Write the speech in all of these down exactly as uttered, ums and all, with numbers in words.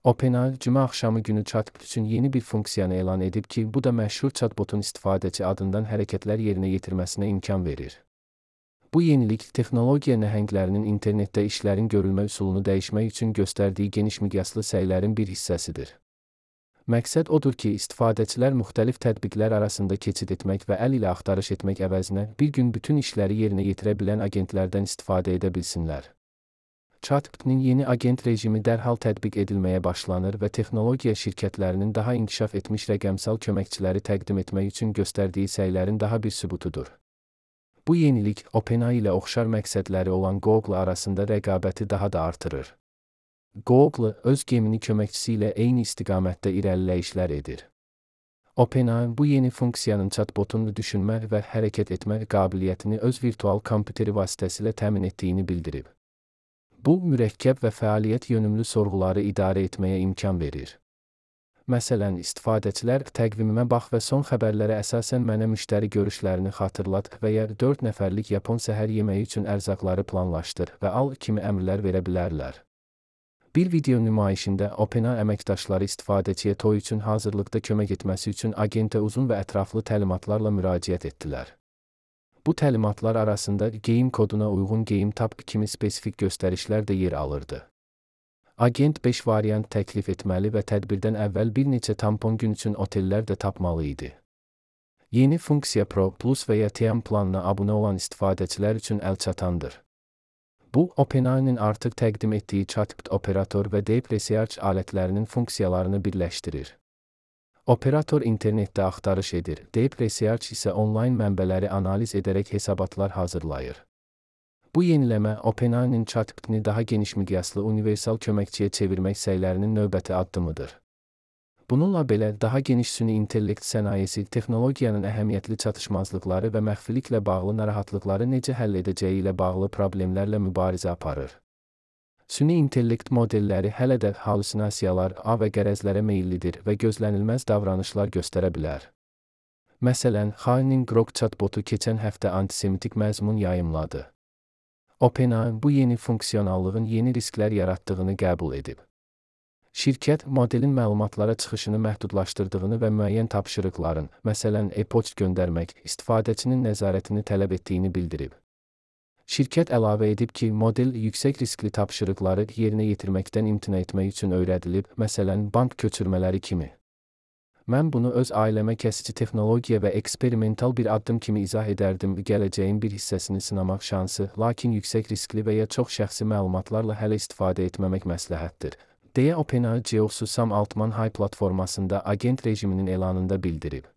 OpenAI cümə axşamı günü chatbot üçün yeni bir funksiyanı elan edib ki, bu da məşhur chatbotun istifadəçi adından hərəkətlər yerinə yetirməsinə imkan verir. Bu yenilik, texnologiya nəhənglərinin internetdə işlərin görülmə üsulunu dəyişmək üçün göstərdiyi geniş miqyaslı səylərin bir hissəsidir. Məqsəd odur ki, istifadəçilər müxtəlif tətbiqlər arasında keçid etmək və əl ilə axtarış etmək əvəzinə bir gün bütün işləri yerinə yetirə bilən agentlərdən istifadə edə bilsinlər. Chatbot'un yeni agent rejimi dərhal tətbiq edilməyə başlanır və texnologiya şirkətlərinin daha inkişaf etmiş rəqəmsal köməkçiləri təqdim etmək üçün göstərdiyi səylərin daha bir sübutudur. Bu yenilik, OpenAI ilə oxşar məqsədləri olan Google arasında rəqabəti daha da artırır. Google, öz gemini köməkçisi ilə eyni istiqamətdə irəliləyişlər edir. OpenAI bu yeni funksiyanın chatbotun düşünmə və hərəkət etmə qabiliyyətini öz virtual kompüteri vasitəsilə təmin etdiyini bildirib. Bu, mürəkkəb və fəaliyyət yönümlü sorğuları idarə etməyə imkan verir. Məsələn, istifadəçilər təqvimimə bax və son xəbərlərə əsasən mənə müştəri görüşlərini xatırlat və ya dörd nəfərlik Yapon səhər yeməyi üçün ərzaqları planlaşdır və al kimi əmrlər verə bilərlər. Bir video nümayişində OpenAI əməkdaşları istifadəçiyə toy üçün hazırlıqda kömək etməsi üçün agentə uzun və ətraflı təlimatlarla müraciət etdilər. Bu təlimatlar arasında geyim koduna uyğun geyim tap kimi spesifik göstərişlər də yer alırdı. Agent beş variant təklif etməli və tədbirdən əvvəl bir neçə tampon gün üçün otellər də tapmalı idi. Yeni funksiya Pro Plus və ya T M planına abunə olan istifadəçilər üçün əlçatandır. Bu, OpenAI-nin artıq təqdim etdiyi chatbot operator və Deep Research alətlərinin funksiyalarını birləşdirir. Operator internetdə axtarış edir, Deep Research isə onlayn mənbələri analiz edərək hesabatlar hazırlayır. Bu yeniləmə OpenAI-nin chatbotunu daha geniş miqyaslı universal köməkçiyə çevirmək səylərinin növbəti addımıdır. Bununla belə, daha geniş süni intellekt sənayesi texnologiyanın əhəmiyyətli çatışmazlıqları və məxfiliklə bağlı narahatlıqları necə həll edəcəyi ilə bağlı problemlərlə mübarizə aparır. Süni intellekt modelləri hələ də halüsinasiyalar, ağ və qərəzlərə meyillidir və gözlənilməz davranışlar göstərə bilər. Məsələn, Xainin Grok chatbotu keçən həftə antisemitik məzmun yayımladı. OpenAI bu yeni funksionallığın yeni risklər yaratdığını qəbul edib. Şirkət, modelin məlumatlara çıxışını məhdudlaşdırdığını və müəyyən tapşırıqların, məsələn, e-poçt göndərmək, istifadəçinin nəzarətini tələb etdiyini bildirib. Şirkət əlavə edib ki, model yüksək riskli tapşırıqları yerinə yetirməkdən imtina etmək üçün öyrədilib, məsələn, bank köçürmələri kimi. Mən bunu öz ailəmə kəsici texnologiya və eksperimental bir addım kimi izah edərdim, gələcəyin bir hissəsini sınamaq şansı, lakin yüksək riskli və ya çox şəxsi məlumatlarla hələ istifadə etməmək məsləhətdir, deyə OpenAI C E O-su Sam Altman High platformasında agent rejiminin elanında bildirib.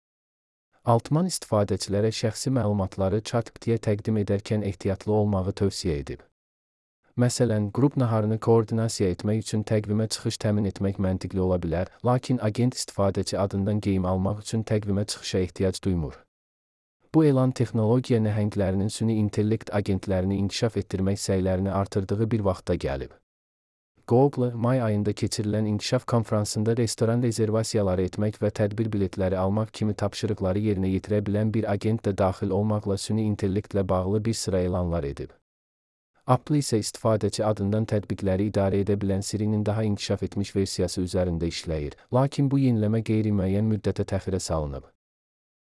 Altman istifadəçilərə şəxsi məlumatları chatbot'a təqdim edərkən ehtiyatlı olmağı tövsiyə edib. Məsələn, qrup naharını koordinasiya etmək üçün təqvimə çıxış təmin etmək məntiqli ola bilər, lakin agent istifadəçi adından geyim almaq üçün təqvimə çıxışa ehtiyac duymur. Bu elan texnologiya nəhənglərinin süni intellekt agentlərini inkişaf etdirmək səylərini artırdığı bir vaxtda gəlib. Google, may ayında keçirilən inkişaf konfransında restoran rezervasiyaları etmək və tədbir biletləri almaq kimi tapşırıqları yerinə yetirə bilən bir agent də daxil olmaqla süni intellektlə bağlı bir sıra elanlar edib. Apple isə istifadəçi adından tətbiqləri idarə edə bilən Siri'nin daha inkişaf etmiş versiyası üzərində işləyir, lakin bu yeniləmə qeyri-müəyyən müddətə təxirə salınıb.